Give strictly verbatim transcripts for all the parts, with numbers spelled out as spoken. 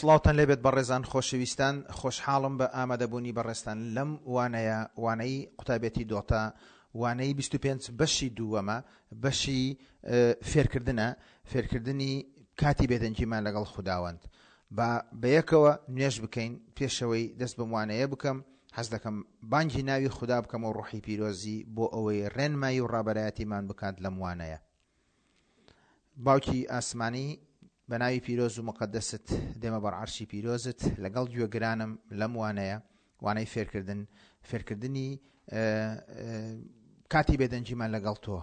سڵاوتان لێبێت بەڕێزان خۆشەویستان، خۆشحاڵم بە ئامادەبوونی بەڕێزتان لەم وانەیە، وانەی قوتابێتی دۆتا، وانەی بیست و پێنج بەشی دووەمە، بەشی فێرکردنە، فێرکردنی کاتی بێدەنگیمان لەگەڵ خوداوەند. با بەیەکەوە نوێژ بکەین. پێشەوەی دەست بەم وانەیە بکەم، حەز دەکەم بانگی ناوی خودا بکەم و ڕۆحی پیرۆزی بۆ ئەوەی ڕێنمایی و ڕابەرایەتیمان بکات لەم وانەیە. باوکی ئاسمانی، بە ناوی پیرۆز و مقەدەست دێمە بەر عەرشی پیرۆزت لەگەڵ گوێگرانم لەم وانەیە، وانەی فێرکردن، فێرکردنی کاتی بێدەنگیمان لەگەڵ تۆ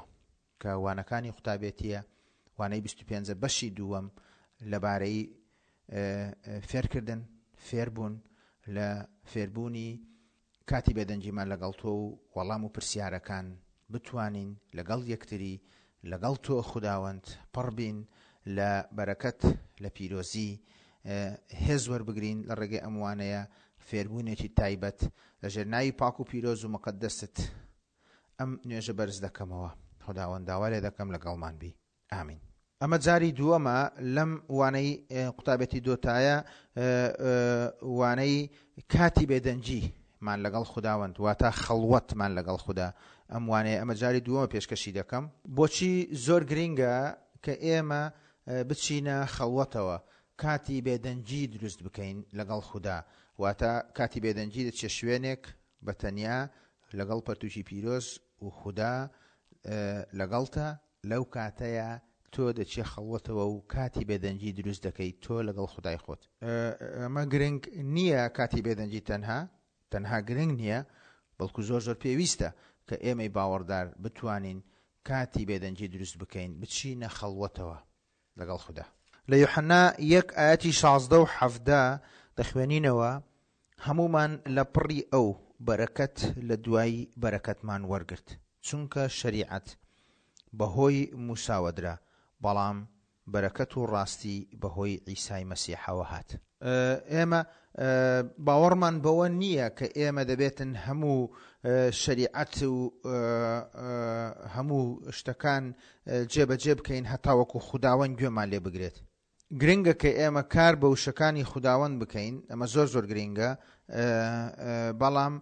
کە وانەکانی قوتابێتیە، وانەی بیست و پێنج بەشی دووەم لەبارەی فێرکردن، فێربوون، لە فێربوونی کاتی بێدەنگیمان لەگەڵ تۆ و وەڵام و پرسیارەکان بتوانین لەگەڵ یەکتری لەگەڵ تۆ خوداوەند پڕبین لە بەرەکەت، لە پیرۆزی، هێز وەربگرین لە ڕێگەی ئەم وانەیە، فێربوونێکی تایبەت لەژێر ناوی پاک و پیرۆز و مقەدەست ئەم نوێژە بەرز دەکەمەوە. خوداوەند داوا لێ دەکەم لەگەڵمان بی. ئامین. ئەمە جاری دووەمە لەم وانەی قوتابێتی دۆتایە، وانەی کاتی بێدەنگی مان لەگەڵ خوداوەند، واتە خەڵوەتمان لەگەڵ خودا. ئەم وانەیە ئەمە جاری دووەمە پێشکەشی دەکەم. بۆچی زۆر گرینگە کە ئێمە بچینە خەڵوەتەوە، کاتی بێدەنگی دروست بکەین لەگەڵ خودا، واتە کاتی بێدەنگی دەچێ شوێنێک بە تەنیا لەگەڵ پەرتوکی پیرۆز و خودا لەگەڵتە، لەو کاتەیە تۆ دەچێ خەڵوەتەوە و کاتی بێدەنگی دروست دەکەیت تۆ لەگەڵ خودای خۆت. ئەمە گرنگ نییە کاتی بێدەنگی تەنها تەنها گرنگ نییە، بەڵکو زۆر زۆر پێویستە کە ئێمەی باوەڕدار بتوانین کاتی بێدەنگی دروست بکەین، بچینە خەڵوەتەوە لەگەڵ خودا. لە یوحەنا یەک ئاەتی شازدە و حەفدە دەخوێنینەوە، هەمومان لە پڕی ئەو بەرەکەت لە دوای بەرەکەتمان وەرگرت، چونکە شەریعەت بەهۆی موساوە درا، بەڵام بەرەکەت و ڕاستی بەهۆی عیسای مەسیحەوە هات. ئێمە باوەڕمان بەوە نییە کە ئێمە دەبێتن هەموو شەریعەت و هەموو شتەکان جێبەجێ بکەین هەتاوەکو خوداوەند گوێمان لێ بگرێت. گرنگە کە ئێمە کار بە وشەکانی خوداوەند بکەین، ئەمە زۆر زۆر گرنگە، بەڵام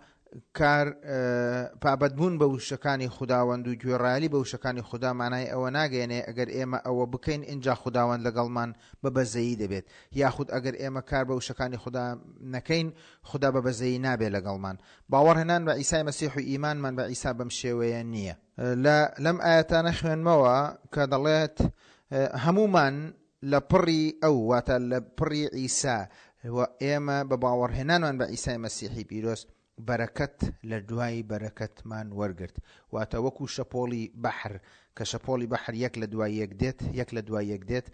کار پابەندبوون بە وشەکانی خوداوەند و گوێڕایەلی بە وشەکانی خودا مانای ئەوە ناگەیەنێ ئەگەر ئێمە ئەوە بکەین ئینجا خوداوەند لەگەڵمان بە بەزەیی دەبێت، یاخود ئەگەر ئێمە کار بە وشەکانی خودا نەکەین خودا بە بەزەیی نابێت لەگەڵمان. باوەڕهێنان بە عیسای مەسیح و ئیمانمان بە عیسا بەم شێوەیە نییە. لەم ئاەتانە خوێنمەوە کە دەڵێت هەمومان لە پڕی ئەو، واتە لە پڕی عیسا، و ئێمە بە باوەڕهێنانمان بە عیسای مەسیحی پیرۆز بەرەکەت لە دوای بەرەکەتمان وەرگرت، واتە وەکو شەپۆڵی بەحر کە شەپۆڵی بەحر یەک لە دوای یەک دێت، یەک لە دوای یەک دێت،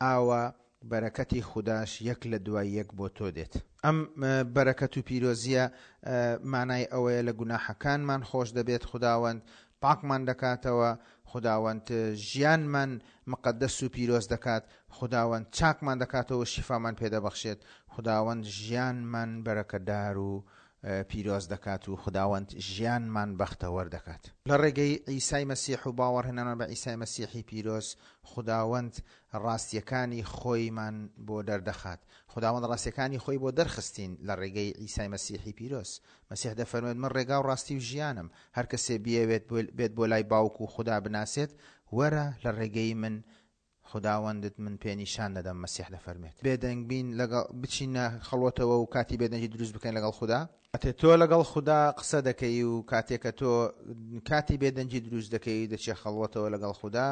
ئاوا بەرەکەتی خوداش یەک لە دوای یەک بۆ تۆ دێت. ئەم بەرەکەت و پیرۆزیە مانای ئەوەیە لە گوناحەکانمان خۆش دەبێت، خوداوەند پاکمان دەکاتەوە، خوداوەند ژیانمان مقەدەس و پیرۆز دەکات، خوداوەند چاکمان دەکاتەوە، شیفامان پێدەبەخشێت، خوداوەند ژیانمان بەرەکەدار و پیرۆز دەکات و خوداوەند ژیانمان بەختەوەر دەکات. لە ڕێگەی عیسای مەسیح و باوەڕهێنانمان بە عیسای مەسیحی پیرۆز خوداوەند ڕاستیەکانی خۆیمان بۆ دەردەخات. خوداوەند ڕاستیەکانی خۆی بۆ دەرخستین لە ڕێگەی عیسای مەسیحی پیرۆز. مەسیح دەفەرموێت من ڕێگا و ڕاستی و ژیانم، هەر کەسێ بیەوێت بێت بۆ لای باوک و خودا بناسێت، وەرە لە ڕێگەی من خوداوەندت من پێنیشان دەدەم. مەسیح دەفەرمێت بێدەنگ بین لەگەڵ بچینە خەڵوەتەوە و کاتی بێدەنگی دروست بکەین لەگەڵ خودا. کاتێ تۆ لەگەڵ خودا قسە دەکەی و کاتێک کە تۆ کاتی بێدەنگی دروست دەکەی دەچێ خەڵوەتەوە لەگەڵ خودا،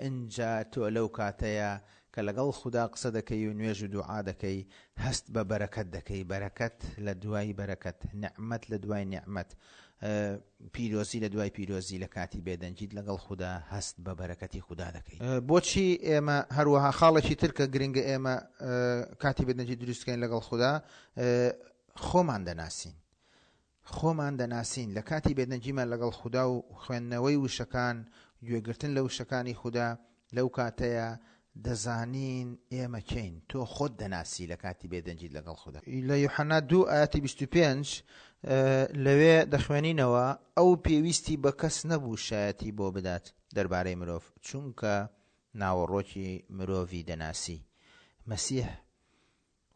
ئینجا تۆ لەو کاتەیە کە لەگەڵ خودا قسە دەکەی و نوێژ و دوعا دەکەی هەست بە بەرەکەت دەکەی، بەرەکەت لە دوای بەرەکەت، نعمەت لە دوای نعمەت، پیرۆزی لە دوای پیرۆزی. لە کاتی بێدەنگیت لەگەڵ خودا هەست بە بەرەکەتی خودا دەکەی. بۆچی ئێمە هەروەها خاڵێکی تر کە گرنگە ئێمە کاتی بێدەنگی دروست بکەین لەگەڵ خودا، خۆمان دەناسین. خۆمان دەناسین لە کاتی بێدەنگیمان لەگەڵ خودا و خوێندنەوەی وشەکان، گوێگرتن لە وشەکانی خودا، لەو کاتەیە دەزانین ئێمە کێین. تۆ خۆت دەناسی لە کاتی بێدەنگیت لەگەڵ خودا. لە یوحەنا دوو ئاەتی بیست و پێنج لەوێ دەخوێنینەوە ئەو پێویستی بە کەس نەبوو شایەتی بۆ بدات دەربارەی مرۆڤ، چونکە ناوەڕۆکی مرۆڤی دەناسی. مەسیح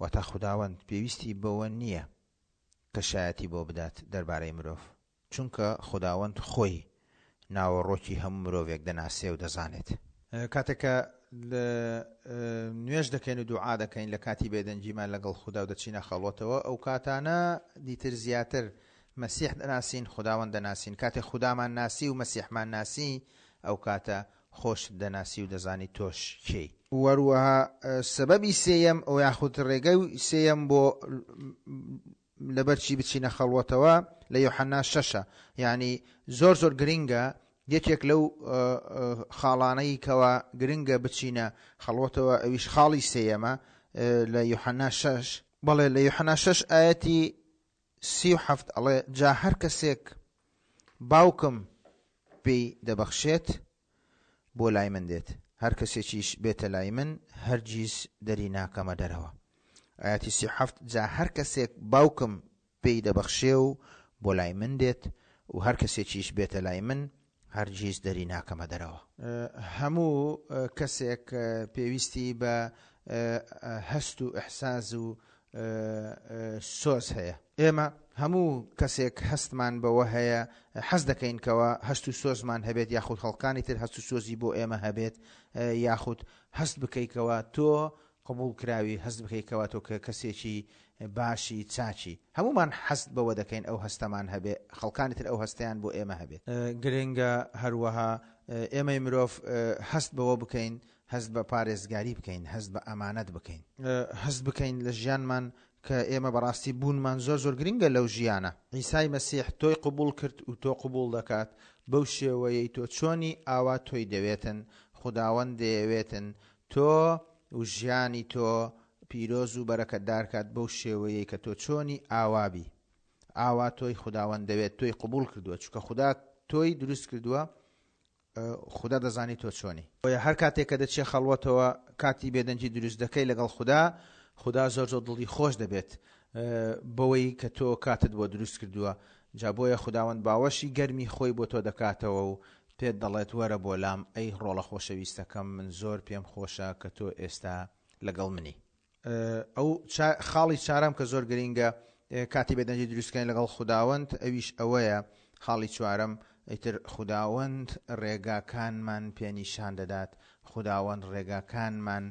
واتە خوداوەند پێویستی بەوە نییە کە شایەتی بۆ بدات دەربارەی مرۆڤ، چونکە خوداوەند خۆی ناوەڕۆکی هەموو مرۆڤێک دەناسێ و دەزانێت. کاتێک کە نوێژ دەکەین و دوعا دەکەین لە کاتی بێدەنگیمان لەگەڵ خودا و دەچینە خەڵوەتەوە، ئەو کاتانە دیتر زیاتر مەسیح دەناسین، خوداوەند دەناسین. کاتێک خودامان ناسی و مەسیحمان ناسی، ئەو کاتە خۆشت دەناسی و دەزانی تۆش کێی. وەروەها سەبەبی سێیەم ئەو یاخود ڕێگەی سێیەم بۆ لەبەرچی بچینە خەڵوەتەوە لە یۆحەنا شەشە، یعنی زۆر زۆر گرنگە، یەکێک لەو خاڵانەی کەوا گرنگە بچینە خەڵوەتەوە ئەویش خاڵی سێیەمە لە یۆحەنا شەش. بەڵێ لە یۆحەنا شەش ئایەتی سی و حەفت ئەڵێ جا هەر کەسێک باوکم پێی دەبەخشێت بۆ لای من دێت، هەر کەسێکیش بێتە لای من هەرگیز دەری ناکەمە دەرەوە. ئایەتی سی و حەفت جا هەر کەسێک باوکم پێی دەبەخشێ و بۆ لای من دێت و هەر کەسێکیش بێتە لای من هەرگیز دەری ناکەمە دەرەوە. هەموو کەسێک پێویستی بە هەست و ئەحساس و سۆز هەیە. ئێمە هەموو کەسێک هەستمان بەوە هەیە، حەز دەکەین کەەوە هەست و سۆزمان هەبێت، یاخود خەڵکانی تر هەست و سۆزی بۆ ئێمە هەبێت، یاخود هەست بکەیتەوە تۆ قبول کراوی، هەست بکەیتەوە تۆ کە کەسێکی باشی چاچی. هەمومان حەست بەوە دەکەین ئەو هەستەمان هەبێت، خەڵکانی تر ئەو هەستیان بۆ ئێمە هەبێت. گرنگە هەروەها ئێمەی مرۆڤ هەست بەوە بکەین، هەست بە پارێزگاری بکەین، هەست بە ئەمانەت بکەین، هەست بکەین لە ژیانمان کە ئێمە بەڕاستی بوونمان زۆر زۆر گرنگە لەو ژیانە. عیسای مەسیح تۆی قبول کرد و تۆ قبول دەکات بەو شێوەیەی تۆ چۆنی ئاوا تۆی دەوێتن، خوداوەند دەیەوێتن تۆ و ژیانی تۆ پیرۆز و بەرەکەتدار کات بەو شێوەیەی کە تۆ چۆنی ئاوابی. ئاوا تۆی خوداوەند دەوێت، تۆی قبول کردووە، چونکە خودا تۆی دروست کردووە، خودا دەزانی تۆ چۆنی. بۆیە هەر کاتێک کە دەچێ خەڵوەتەوە کاتی بێدەنگی دروست دەکەی لەگەڵ خودا، خودا زۆر زۆر دڵی خۆش دەبێت بەوەی کە تۆ کاتت بۆ دروست کردووە. جا بۆیە خوداوەند باوەشی گەرمی خۆی بۆ تۆ دەکاتەوە و پێت دەڵێت وەرە بۆ لام ئەی ڕۆڵە خۆشەویستەکەم، من زۆر پێم خۆشە کە تۆ ئێستا لەگەڵ منی. ئەو خاڵی چارەم کە زۆر گرنگە کاتی بێدەنگی دروستکەین لەگەڵ خوداوەند، ئەویش ئەوەیە خاڵی چوارەم، ئیتر خوداوەند ڕێگاکانمان پێنیشان دەدات، خوداوەند ڕێگاکانمان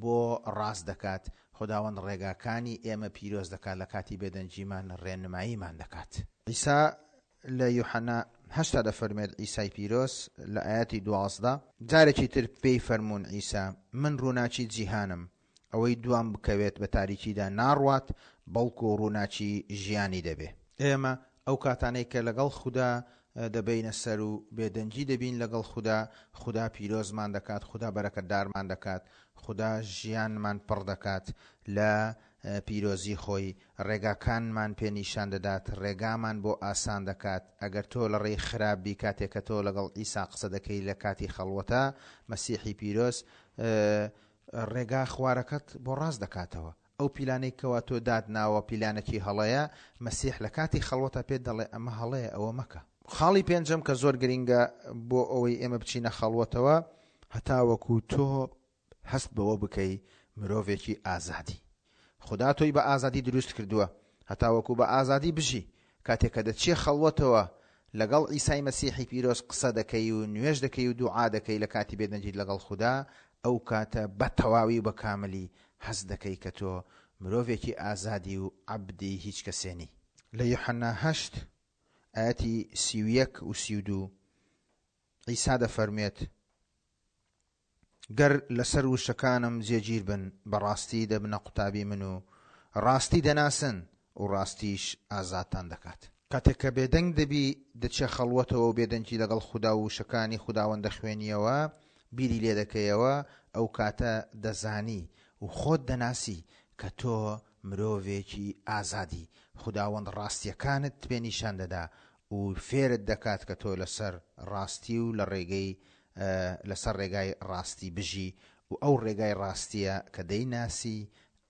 بۆ ڕاست دەکات، خوداوەند ڕێگاکانی ئێمە پیرۆز دەکات، لە کاتی بێدەنگیمان ڕێنماییمان دەکات. عیسا لە یوحەنا هەشتا دەفەرمێت، عیسای پیرۆز لە ئاەتی دوازدە جارێکی تر پێی فەرموون عیسا من ڕووناکی جیهانم، ئەوەی دوام بکەوێت بە تاریکیدا ناڕوات، بەڵکو ڕووناکی ژیانی دەبێ. ئێمە ئەو کاتانەی کە لەگەڵ خودا دەبینە سەر و بێدەنگی دەبین لەگەڵ خودا، خودا پیرۆزمان دەکات، خودا بەرەکەتدارمان دەکات، خودا ژیانمان پڕ دەکات لە پیرۆزی خۆی، ڕێگاکانمان پێنیشان دەدات، ڕێگامان بۆ ئاسان دەکات. ئەگەر تۆ لە ڕێی خراپ بی، کاتێک کە تۆ لەگەڵ عیسا قسە دەکەی لە کاتی خەڵوەتە، مەسیحی پیرۆز ڕێگا خوارەکەت بۆ ڕاست دەکاتەوە. ئەو پیلانەی کەوا تۆ دادناوە پیلانێکی هەڵەیە، مەسیح لە کاتی خەڵوەتە پێت دەڵێ ئەمە هەڵەیە، ئەوە مەکە. خاڵی پێنجەم کە زۆر گرنگە بۆ ئەوەی ئێمە بچینە خەڵوەتەوە، هەتاوەکو تۆ هەست بەوە بکەی مرۆڤێکی ئازادی. خدا تۆی بە ئازادی دروست کردووە هەتاوەکو بە ئازادی بژی. کاتێک کە دەچێ خەڵوەتەوە لەگەڵ عیسای مەسیحی پیرۆز قسە دەکەی و نوێژ دەکەی و دوعا دەکەی لە کاتی بێدەنگیت لەگەڵ خودا، ئەو کاتە بە تەواوی و بە کاملی هەست دەکەی کە تۆ مرۆڤێکی ئازادی و عەبدی هیچ کەسێنی. لە یوحەنا هەشت ئاەتی سی و یەک و سی و دوو عیسا دەفەرمێت گەر لەسەر وشەکانم جێگیر بن بەڕاستی دەبنە قوتابی من و ڕاستی دەناسن و ڕاستیش ئازادتان دەکات. کاتێک کە بێدەنگ دەبی دەچێ خەڵوەتەوە و بێدەنگی لەگەڵ خودا و وشەکانی خوداوەند دەخوێنیەوە، بیری لێ دەکەیەوە، ئەو کاتە دەزانی و خۆت دەناسی کە تۆ مرۆڤێکی ئازادی. خوداوەند ڕاستیەکانت پێنیشان دەدا و فێرت دەکات کە تۆ لەسەر ڕاستی و لە ڕێگەی لەسەر ڕێگای ڕاستی بژی و ئەو ڕێگای ڕاستیە کە دەیناسی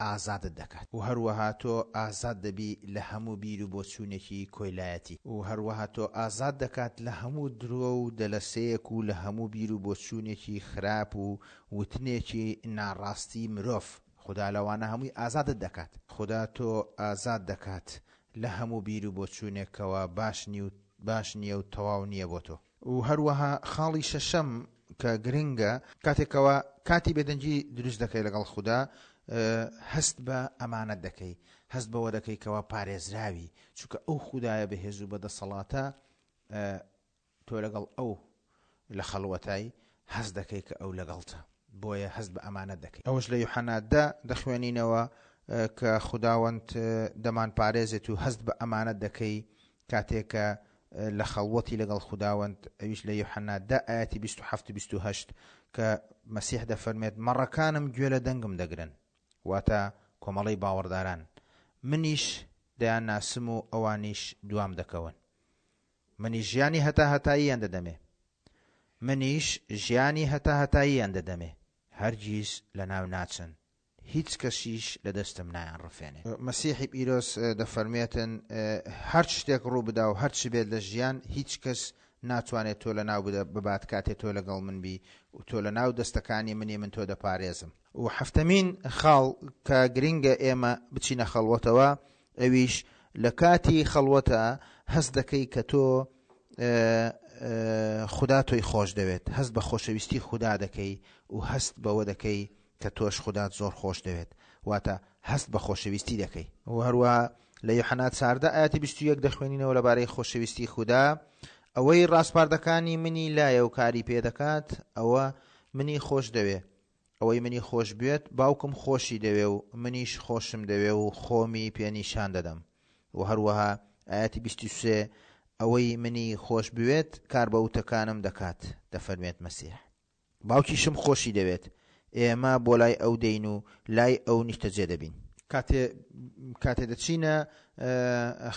ئازادت دەکات. و هەروەها تۆ ئازاد دەبی لە هەموو بیر و بۆچوونێکی کۆیلایەتی، و هەروەها تۆ ئازاد دەکات لە هەموو درۆ و دەلەسەیەک و لە هەموو بیر و بۆچوونێکی خراپ و وتنێکی ناڕاستی مرۆڤ. خودا لەوانە هەمووی ئازادت دەکات. خودا تۆ ئازاد دەکات لە هەموو بیر و بۆچوونێکەوە باش نیو باش نییە و تەواو نییە بۆ تۆ. و هەروەها خاڵی شەشەم کە گرنگە، کاتێکەوە کاتی بێدەنگی دروست دەکەی لەگەڵ خودا، هەست بە ئەمانەت دەکەی، هەست بەوە دەکەی کەوا پارێزراوی، چونکە ئەو خودایە بەهێز و بەدەسەڵاتە، تۆ لەگەڵ ئەو لە خەڵوەتای هەست دەکەی کە ئەو لەگەڵتە، بۆیە هەست بە ئەمانەت دەکەی. ئەوەش لە یوحەنا دە دەخوێنینەوە کە خوداوەند دەمان پارێزێت و هەست بە ئەمانەت دەکەی کاتێک کە لە خەڵوەتی لەگەڵ خوداوەند، ئەویش لە یوحەنا دە ئاەتی بیست و حەفت و بیست و هەشت کە مەسیح دەفەرمێت مەڕەکانم گوێ لە دەنگم دەگرن، واتە کۆمەڵەی باوەڕداران، منیش دەیان ناسم و ئەوانیش دوام دەکەون، منیش ژیانی هەتا هەتاییان دەدەمێ، منیش ژیانی هەتا هەتاییان دەدەمێ، هەرگیز لەناو ناچن، هیچ کەسیش لە دەستم نایان ڕفێنێ. مەسیحی پیرۆز دەفەرمێتن هەر شتێک ڕوو بدا و هەرچی بێت لە ژیان، هیچ کەس ناتوانێت تۆ لە ناو ببات کاتێ تۆ لەگەڵ من بی و تۆ لە ناو دەستەکانی منی من تۆ دەپارێزم. و حەفتەمین خاڵ کە گرنگە ئێمە بچینە خەڵوەتەوە، ئەویش لە کاتی خەڵوەتە هەست دەکەی کە تۆ خودا تۆی خۆش دەوێت، هەست بە خۆشەویستی خودا دەکەی و هەست بەوە دەکەی کە تۆش خودات زۆر خۆش دەوێت، واتە هەست بە خۆشەویستی دەکەی. و هەروەها لە یوحەنا چاردە ئاەتی بیست و یەک دەخوێنینەوە لەبارەی خۆشەویستی خودا، ئەوەی ڕاسپاردەکانی منی لایە و کاری پێدەکات ئەوە منی خۆش دەوێ، ئەوەی منی خۆش بێت باوکم خۆشی دەوێ و منیش خۆشم دەوێ و خۆمی پێنیشان دەدەم. و هەروەها ئاەتی بیست و سێ ئەوەی منی خۆش بوێت کار بە وتەکانم دەکات، دەفەرمێت مەسیح. باوکیشم خۆشی دەوێت، ئێمە بۆ لای ئەو دەین و لای ئەو نیشتەجێ دەبین. کاتێ کاتێ دەچینە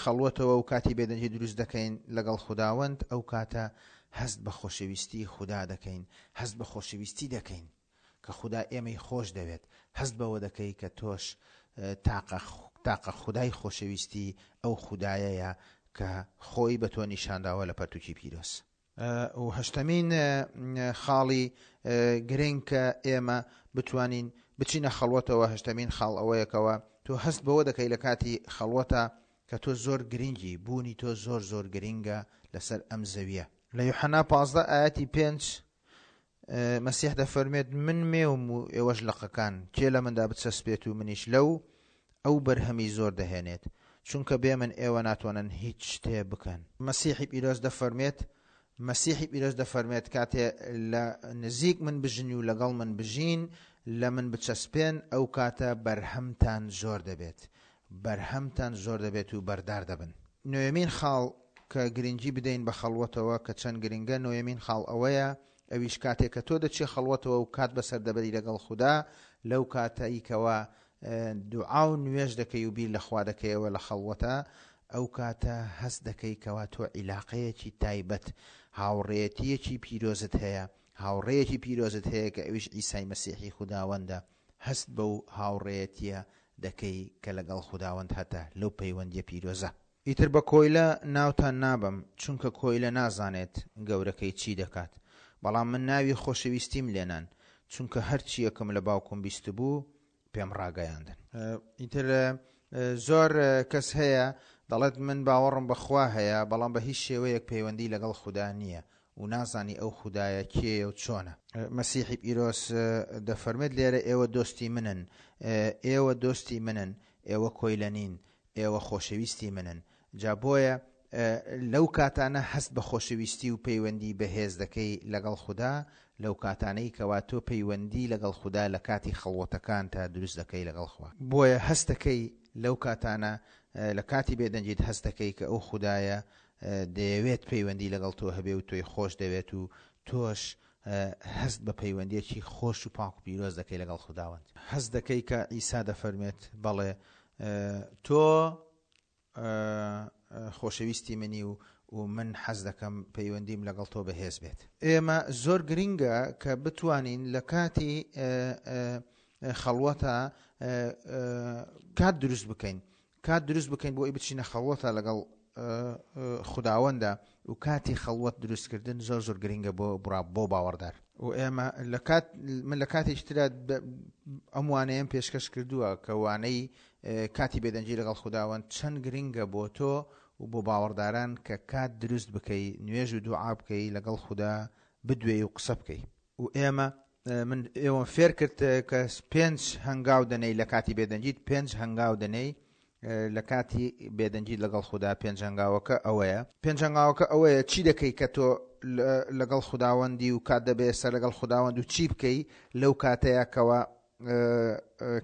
خەڵوەتەوە و کاتی بێدەنگی دروست دەکەین لەگەڵ خوداوەند، ئەو کاتە هەست بە خۆشەویستی خودا دەکەین، هەست بە خۆشەویستی دەکەین کە خودا ئێمەی خۆش دەوێت، هەست بەوە دەکەی کە تۆش تاقە تاقە خودای خۆشەویستی ئەو خودایەیە کە خۆی بە تۆ نیشانداوە لە پەرتوکی پیرۆز. و هەشتەمین خاڵی گرنگ کە ئێمە بتوانین بچینە خەڵوەتەوە، هەشتەمین خاڵ ئەوەیەکەوە تۆ هەست بەوە دەکەی لە کاتی خەڵوەتە کە تۆ زۆر گرنگی، بوونی تۆ زۆر زۆر گرنگە لەسەر ئەم زەویە. لە یوحەنا پازدە ئاەتی پێنج مەسیح دەفەرمێت من مێوم و ئێوەش لقەکان، کێ لە مندا بچەسپێت و منیش لەو، ئەو بەرهەمی زۆر دەهێنێت، چونکە بێ من ئێوە ناتوانن هیچ شتێ بکەن. مەسیحی پیرۆز دەفەرمێت مەسیحی پیرۆز دەفەرمێت کاتێ لە نزیک من بژین و لەگەڵ من بژین، لە من بچەسپێن، ئەو کاتە بەرهەمتان زۆر دەبێت، بەرهەمتان زۆر دەبێت و بەردار دەبن. نۆیەمین خاڵ کە گرنگی بدەین بە خەڵوەتەوە کە چەند گرنگە، نۆیەمین خاڵ ئەوەیە ئەویش کاتێک کە تۆ دەچێ خەڵوەتەوە و کات بەسەر دەبەری لەگەڵ خودا، لەو کاتەیکەوە دوعا و نوێژ دەکەی و بیر لە خوا دەکەیەوە لە خەڵوەتە، ئەو کاتە هەست دەکەی کەوا تۆ عیلاقەیەکی تایبەت، هاوڕێیەتیەکی پیرۆزت هەیە، هاوڕێیەکی پیرۆزت هەیە کە ئەویش عیسای مەسیحی خوداوەندە. هەست بەو هاوڕێیەتیە دەکەی کە لەگەڵ خوداوەند هەتە لەو پەیوەندیە پیرۆزە. ئیتر بە کۆیلە ناوتان نابەم، چونکە کۆیلە نازانێت گەورەکەی چی دەکات، بەڵام من ناوی خۆشەویستیم لێنان، چونکە هەرچیەکم لە باوکم بیست بوو پێم ڕاگەیاندن. ئیتر زۆر کەس هەیە دەڵێت من باوەڕم بەخوا هەیە، بەڵام بە هیچ شێوەیەک پەیوەندی لەگەڵ خودا نییە و نازانی ئەو خودایە کێیە و چۆنە. مەسیحی پیرۆز دەفەرمێت لێرە ئێوە دۆستی منن، ئێوە دۆستی منن، ئێوە کۆیلە نین، ئێوە خۆشەویستی منن. جا بۆیە لەو کاتانە هەست بە خۆشەویستی و پەیوەندی بەهێز دەکەی لەگەڵ خودا، لەو کاتانەی کەوا تۆ پەیوەندی لەگەڵ خودا لە کاتی خەڵوەتەکان تا دروست دەکەی لەگەڵ خوا. بۆیە هەست دەکەی لەو کاتانە لە کاتی بێدەنگیت هەست دەکەی کە ئەو خودایە دەیەوێت پەیوەندی لەگەڵ تۆ هەبێ و تۆی خۆش دەوێت و تۆش هەست بە پەیوەندیەکی خۆش و پاک و پیرۆز دەکەی لەگەڵ خوداوەند. هەست دەکەی کە عیسا دەفەرمێت بەڵێ تۆ خۆشەویستی منی و و من حەز دەکەم پەیوەندیم لەگەڵ تۆ بەهێز بێت. ئێمە زۆر گرنگە کە بتوانین لە کاتی خەڵوەتە کات دروست بکەین، کات دروست بکەین بۆ ئەوەی بچینە خەڵوەتە لەگەڵ خوداوەندە، و کاتی خەڵوەت دروستکردن زۆر زۆر گرنگە بۆ بۆ باوەڕدار. و ئێمە لە کات من لە کاتێکی ترا ئەم وانەیەم پێشکەش کردووە کە وانەی کاتی بێدەنگی لەگەڵ خوداوەند چەند گرنگە بۆ تۆ و بۆ باوەڕداران کە کات دروست بکەی، نوێژ و دوعا بکەی، لەگەڵ خودا بدوێی و قسە بکەی. و ئێمە من ئێوەم فێر کرد کە پێنج هەنگاو دەنێی لە کاتی بێدەنگیت، پێنج هەنگاو دەنێی لە کاتی بێدەنگیت لەگەڵ خودا. پێنج هەنگاوەکە ئەوەیە. پێنج هەنگاوەکە ئەوەیە چی دەکەی کە تۆ لەگەڵ خوداوەندی و کات دەبێت سەر لەگەڵ خوداوەند و چی بکەی لەو کاتەیە کەەوە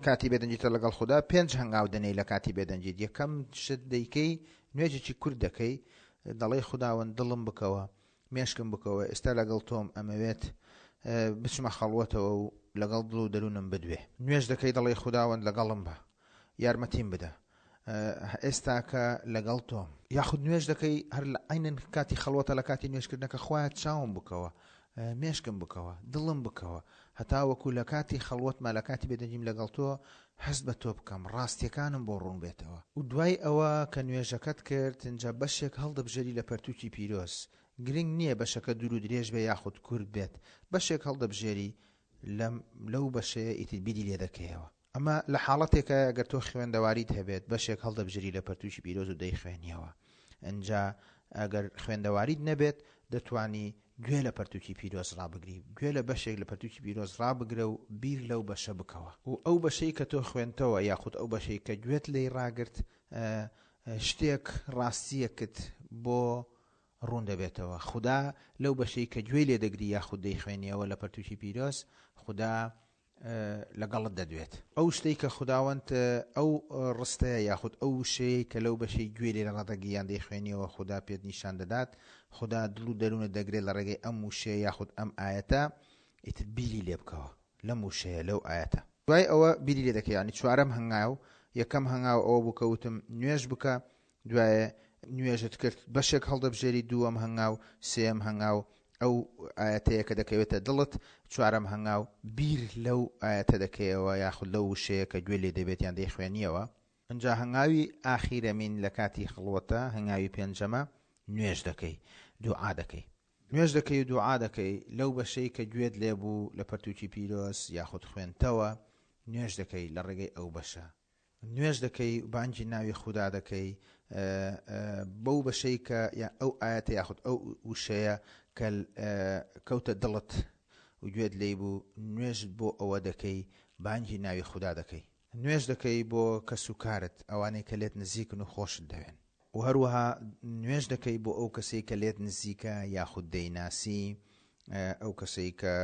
کاتی بێدەنگیتە لەگەڵ خودا. پێنج هەنگاو دەنێی لە کاتی بێدەنگیت. یەکەم شت دەیکەی نوێژێکی کورت دەکەی، دەڵێی خوداوەند دڵم بکەوە، مێشکم بکەوە، ئێستا لەگەڵ تۆم ئەمەوێت بچمە خەڵوەتەوە و لەگەڵ دڵ و دەروونم بدوێ. نوێژ دەکەی دەڵێی خوداوەند لەگەڵم بە، یارمەتیم بدە، ئێستاکە لەگەڵ تۆم. یاخود نوێژ دەکەی هەر لە عینن کاتی خەڵوەتە لە کاتی نوێژکردنەکە خوایە چاوم بکەوە، مێشکم بکەوە، دڵم بکەوە، هەتا وەکو لە کاتی خەڵوەتما لە کاتی بێدەنگیم لەگەڵ تۆ هەست بە تۆ بکەم، ڕاستیەکانم بۆ ڕوون بێتەوە. و دوای ئەوە کە نوێژەکەت کرد اینجا بەشێک هەڵدەبژێری لە پەرتوکی پیرۆز. گرنگ نییە بەشەکە دوور و درێژ بێ یاخود کورت بێت، بەشێک هەڵدەبژێری لەو بەشەیە ئیتر بیری لێ دەکەیەوە. ئەمە لە حاڵەتێکە ئەگەر تۆ خوێندەواریت هەبێت بەشێک هەڵدەبژێری لە پەرتوکی پیرۆز و دەیخوێنیەوە. ئەنجا ئەگەر خوێندەواریت نەبێت دەتوانی گوێ لە پەرتوکی پیرۆز ڕابگری، گوێ لە بەشێک لە پەرتوکی پیرۆز ڕابگرە و بیر لەو بەشە بکەوە. و ئەو بەشەی کە تۆ خوێنتەوە یاخود ئەو بەشەی کە گوێت لێی ڕاگرت شتێک ڕاستیەکت بۆ ڕوون دەبێتەوە. خودا لەو بەشەی کە گوێی لێ دەگری یاخود دەیخوێنیەوە لە پەرتوکی پیرۆز، خودا لەگەڵت دەدوێت. ئەو شتەی کە خوداوەند ئەو ڕستەیە یاخود ئەو وشەیە کە لەو بەشەی گوێ لێ ڕادەگری یان دەیخوێنیەوە خودا پێت نیشان دەدات، خودا دڵ و دەروونت دەگرێت لە ڕێگەی ئەم وشەیە یاخود ئەم ئایەتە، ئیتر بیری لێ بکەوە لەم وشەیە لەو ئایەتە. دوای ئەوە بیری لێ دەکەی. یعنی چوارەم هەنگاو، یەکەم هەنگاو ئەوە بوو کە وتم نوێژ بکە، دوایە نوێژت کرد بەشێک هەڵدەبژێری، دووەم هەنگاو، سێیەم هەنگاو ئەو ئایەتەیە کە دەکەوێتە دڵت، چوارەم هەنگاو بیر لەو ئایەتە دەکەیەوە یاخود لەو وشەیە کە گوێ لێ دەبێت یان دەیخوێنیەوە. ئەنجا هەنگاوی ئاخیرەمین لە کاتی خەڵوەتە، هەنگاوی پێنجەمە، نوێژ دەکەی، دوعا دەکەی. نوێژ دەکەی و دوعا دەکەی لەو بەشەی کە گوێت لێ بوو لە پەرتوکی پیرۆز یاخود خوێنتەوە، نوێژ دەکەی لە ڕێگەی ئەو بەشە. نوێژ دەکەی بانگی ناوی خودا دەکەی بەو بەشەی کە ئەو ئایەتە یاخود ئەو وشەیە کە کەوتە دڵت و گوێت لێی بوو، نوێژت بۆ ئەوە دەکەی، بانگی ناوی خودا دەکەی. نوێژ دەکەی بۆ کەس و کارت، ئەوانەی کە لێت نزیکن و خۆشت دەوێن. و هەروەها نوێژ دەکەی بۆ ئەو کەسەی کە لێت نزیکە یاخود دەیناسی، ئەو کەسەی کە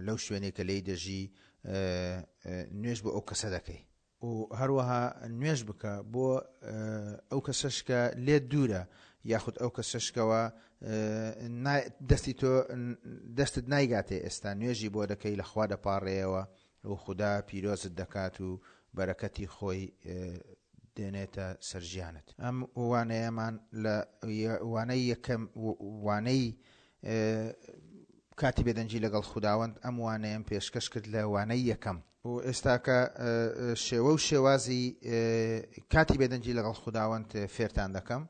لەو شوێنێک کە لێی دەژی، نوێژ بۆ ئەو کەسە دەکەی. و هەروەها نوێژ بکە بۆ ئەو کەسەش کە لێت دوورە یاخود ئەو کەسەشکەوە دەستی تۆ دەستت نایگاتێ ئێستا، نوێژی بۆ دەکەی، لە خوا دەپاڕێیەوە و خودا پیرۆزت دەکات و بەرەکەتی خۆی دێنێتە سەر ژیانت. ئەم وانەیەمان لە وانەی یەکەم وانەی کاتی بێدەنگی لەگەڵ خوداوەند ئەم وانەیەم پێشکەش کرد لە وانەی یەکەم. و ئێستاکە شێوە و شێوازی کاتی بێدەنگی لەگەڵ خوداوەند فێرتان دەکەم.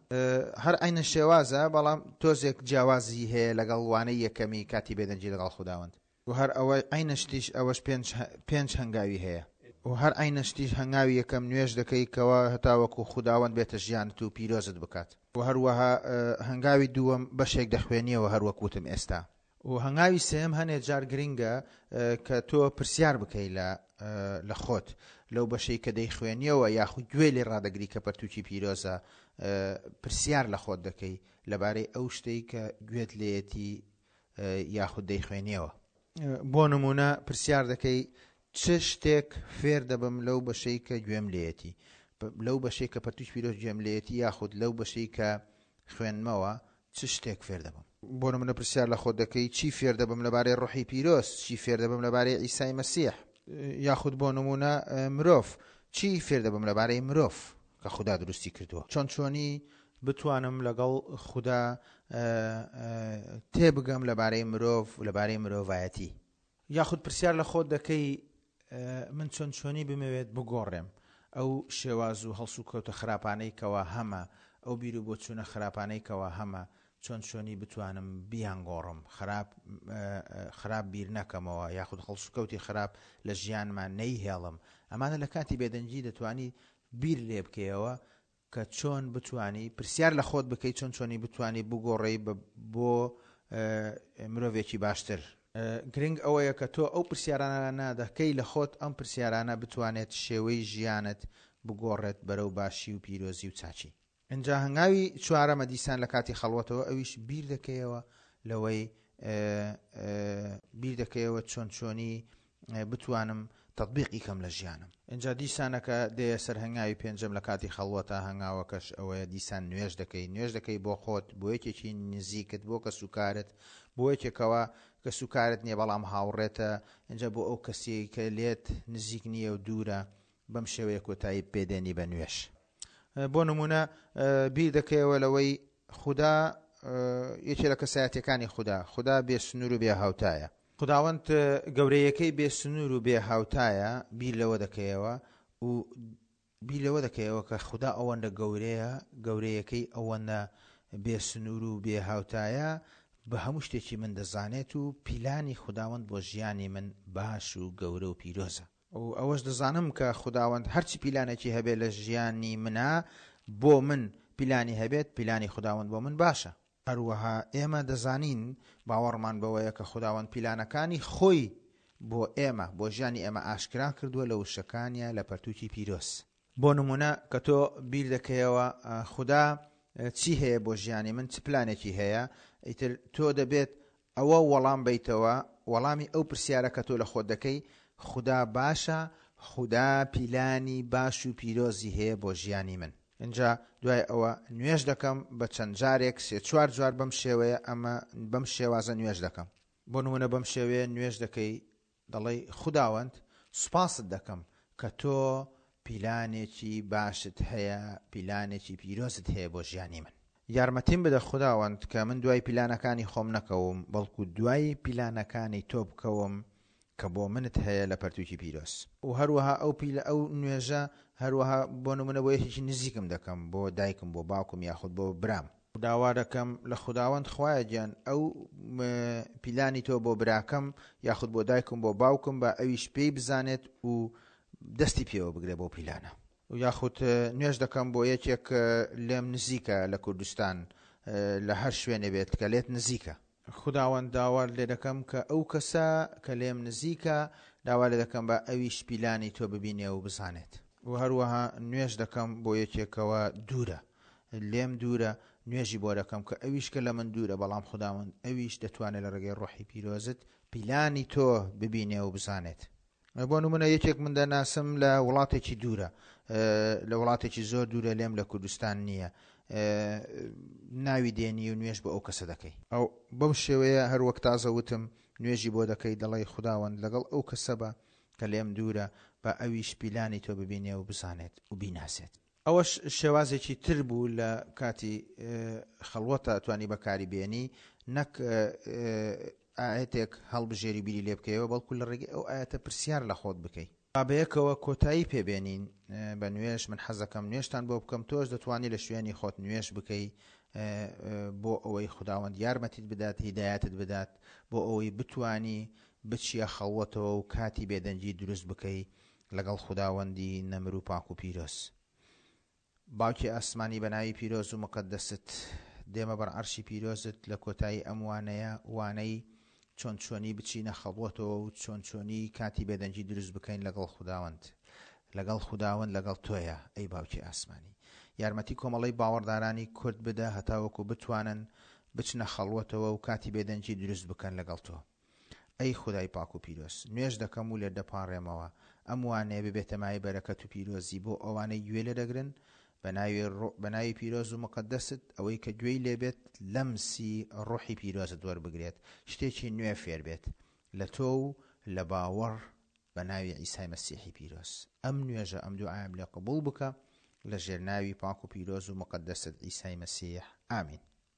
هەر عینە شێوازە، بەڵام تۆزێک جیاوازی هەیە لەگەڵ وانەی یەکەمی کاتی بێدەنگی لەگەڵ خوداوەند. و هەر ئەوە عینە شتیش ئەوەش پێنج هەنگاوی هەیە. و هەر عینە شتیش هەنگاوی یەکەم نوێژ دەکەی کەوا هەتاوەکو خوداوەند بێتە ژیانت و پیرۆزت بکات. و هەروەها هەنگاوی دووەم بەشێک دەخوێنیەوە هەروەک وتم ئێستا. و هەنگاوی سێم هەنێ جار گرنگە کە تۆ پرسیار بکەی لە خۆت لەو بەشەی کە دەیخوێنیەوە یاخود گوێ لێ ڕادەگری کە پەرتوکی پیرۆزە، پرسیار لە خۆت دەکەی لەبارەی ئەو شتەی کە گوێت لێیەتی یاخود دەیخوێنیەوە. بۆ نمونە پرسیار دەکەی چ شتێک فێر دەبم لەو بەشەی کە گوێم لێیەتی، لەو بەشەی کە پەرتوکی پیرۆز گوێم لێیەتی یاخود لەو بەشەی کە خوێنمەوە چ شتێک فێر دەبم. بۆ نمونە پرسیار لە خۆت دەکەی چی فێر دەبم لەبارەی ڕۆحی پیرۆز، چی فێر دەبم لەبارەی عیسای مەسیح، یاخود بۆ نمونە مرۆڤ، چی فێر دەبم لەبارەی مرۆڤ کە خودا دروستی کردووە، چۆن چۆنی بتوانم لەگەڵ خودا تێبگەم لەبارەی مرۆڤ لەبارەی مرۆڤایەتی. یاخود پرسیار لە خۆت دەکەی من چۆن چۆنی بمەوێت بگۆڕێم ئەو شێواز و هەڵسوکەوتە خراپانەی کەوا هەمە، ئەو بیر و بۆچوونە خراپانەی کەوا هەمە، چۆن چۆنی بتوانم بیانگۆڕم، خراپ خراپ بیر نەکەمەوە یاخود هەڵسوکەوتی خراپ لە ژیانمان نەیهێڵم. ئەمانە لە کاتی بێدەنگی دەتوانی بیر لێ بکەیەوە کە چۆن بتوانی پرسیار لە خۆت بکەیت، چۆن چۆنی بتوانی بگۆڕێی بۆ مرۆڤێکی باشتر. گرنگ ئەوەیە کە تۆ ئەو پرسیارانە دەکەی لە خۆت، ئەم پرسیارانە بتوانێت شێوەی ژیانت بگۆڕێت بەرەو باشی و پیرۆزی و چاچی. ئینجا هەنگاوی چوارەمە دیسان لە کاتی خەڵوەتەوە، ئەویش بیر دەکەیەوە لەوەی بیر دەکەیەوە چۆن چۆنی بتوانم تطبیقی کەم لە ژیانم. ئینجا دیسانەکە دێیە سەر هەنگاوی پێنجەم لە کاتی خەڵوەتە، هەنگاوەکەش ئەوەیە دیسان نوێژ دەکەی. نوێژ دەکەی بۆ خۆت، بۆ یەکێکی نزیکت، بۆ کەسوکارت، بۆ یەکێکەوە کەسوکارت نییە بەڵام هاوڕێتە، ئینجا بۆ ئەو کەسێک کە لێت نزیک نییە و دوورە، بەم شێوەیە کۆتایی پێدێنی بە نوێژ. بۆ نمونە بیر دەکەیەوە لەوەی خودا یەکێ لە کەسایەتەکانی خودا، خودا بێ سنوور و بێ هاوتایە، خداوەند گەورەیەکەی بێ سنوور و بێ هاوتایە. بیر لەوە دەکەیەوە و بیر لەوە دەکەیەوە کە خودا ئەوەندە گەورەیە، گەورەیەکەی ئەوەندە بێ سنوور و بێ هاوتایە، بە هەموو شتێکی من دەزانێت و پیلانی خداوەند بۆ ژیانی من باش و گەورە و پیرۆزە. و ئەوەش دەزانم کە خداوەند هەرچی پیلانێکی هەبێت لە ژیانی منە بۆ من پیلانی هەبێت، پیلانی خداوەند بۆ من باشە. هەروەها ئێمە دەزانین باوەڕمان بەوەیە کە خداوەند پیلانەکانی خۆی بۆ ئێمە، بۆ ژیانی ئێمە ئاشکرا کردووە لە وشەکانیە لە پەرتوکی پیرۆز. بۆ نمونە کە تۆ بیر دەکەیەوە خودا چی هەیە بۆ ژیانی من، چ پلانێکی هەیە، ئیتر تۆ دەبێت ئەوە وەڵام بیتەوە، وەڵامی ئەو پرسیارە کە تۆ لە خۆت دەکەی، خودا باشە، خودا پیلانی باش و پیرۆزی هەیە بۆ ژیانی من. اینجا دوای ئەوە نوێژ دەکەم بە چەند جارێک، سێ چوار جار بەم شێوەیە، ئەمە بەم شێوازە نوێژ دەکەم. بۆ نمونە بەم شێوەیە نوێژ دەکەی، دەڵێی خوداوەند سوپاست دەکەم کە تۆ پیلانێکی باشت هەیە، پیلانێکی پیرۆزت هەیە بۆ ژیانی من. یارمەتیم بدە خوداوەند کە من دوای پیلانەکانی خۆم نەکەوم، بەڵکو دوای پیلانەکانی تۆ بکەوم کە بۆ منت هەیە لە پەرتوکی پیرۆز. و هەروەها ئەو پیلە ئەو نوێژە هەروەها بۆ نمونە بۆ یەکێکی نزیکم دەکەم، بۆ دایکم، بۆ باوکم یاخود بۆ برام. داوا دەکەم لە خوداوەند خوایە گیان ئەو پیلانی تۆ بۆ براکەم یاخود بۆ دایکم بۆ باوکم بە ئەویش پێی بزانێت و دەستی پێوە بگرێ بۆ پیلانە. یاخود نوێژ دەکەم بۆ یەکێک لێم نزیکە لە کوردستان، لە هەر شوێنێ بێت کە لێت نزیکە. خوداوەند داوا لێ دەکەم کە ئەو کەسە کە لێم نزیکە داوا لێ دەکەم بە ئەویش پیلانی تۆ ببینێ و بزانێت. و هەروەها نوێژ دەکەم بۆ یەکێکەوە دوورە، لێم دوورە، نوێژی بۆ دەکەم کە ئەویش کە لە من دوورە، بەڵام خوداوەند ئەویش دەتوانێت لە ڕێگەی ڕۆحی پیرۆزت پیلانی تۆ ببینێ و بزانێت. بۆ نمونە یەکێک من دەناسم لە وڵاتێکی دوورە، لە وڵاتێکی زۆر دوورە، لێم لە کوردستان نییە، ناوی دێنی و نوێژ بۆ ئەو کەسە دەکەی. ئەو بەم شێوەیە هەر وەک تازە وتم نوێژی بۆ دەکەی، دەڵێی خوداوەند لەگەڵ ئەو کەسە بە کە لێم دوورە، بە ئەویش پیلانی تۆ ببینێ و بزانێت و بیناسێت. ئەوەش شێوازێکی تر بوو لە کاتی خەڵوەتە توانی بەکاری بێنی، نەک ئاەتێک هەڵبژێری بیری لێ بکەیەوە، بەڵکو لە ڕێگەی ئەو ئاەتە پرسیار لە خۆت بکەی. با بەیەکەوە کۆتایی پێبێنین بە نوێژ. من حەزەکەم نوێژتان بۆ بکەم، تۆش دەتوانی لە شوێنی خۆت نوێژ بکەی بۆ ئەوەی خوداوەند یارمەتیت بدات، هیدایەتت بدات، بۆ ئەوەی بتوانی بچیە خەڵوەتەوە و کاتی بێدەنگی دروست بکەی لەگەڵ خوداوەندی نەمر و پاک و پیرۆز. باوکی ئاسمانی بە ناوی پیرۆز و مقەدەست دێمە بەر عەرشی پیرۆزت لە کۆتایی ئەم وانەیە، وانەی چۆن چۆنی بچینە خەڵوەتەوە و چۆن چۆنی کاتی بێدەنگی دروست بکەین لەگەڵ خوداوەند، لەگەڵ خوداوەند لەگەڵ تۆیە ئەی باوکی ئاسمانی. یارمەتی کۆمەڵەی باوەڕدارانی کورد بدە هەتاوەکو بتوانن بچنە خەڵوەتەوە و کاتی بێدەنگی دروست بکەن لەگەڵ تۆ. ئەی خودای پاک و پیرۆز، نوێژ دەکەم و لێت دەپاڕێمەوە ئەم وانەیە ببێتە مایەی بەرەکەت و پیرۆزی بۆ ئەوانەی گوێ لێ دەگرن، بە ناوی پیرۆز و مقەدەست ئەوەی کە گوێی لێبێت لەمسی ڕۆحی پیرۆزت وەربگرێت، شتێکی نوێ فێر بێت لە تۆ و لە باوەڕ بە ناوی عیسای مەسیحی پیرۆز. ئەم نوێژە ئەم دوعایم لێ قبوڵ بکە لە ژێر ناوی پاک و پیرۆز و مقەدەست عیسای مەسیح. ئامین.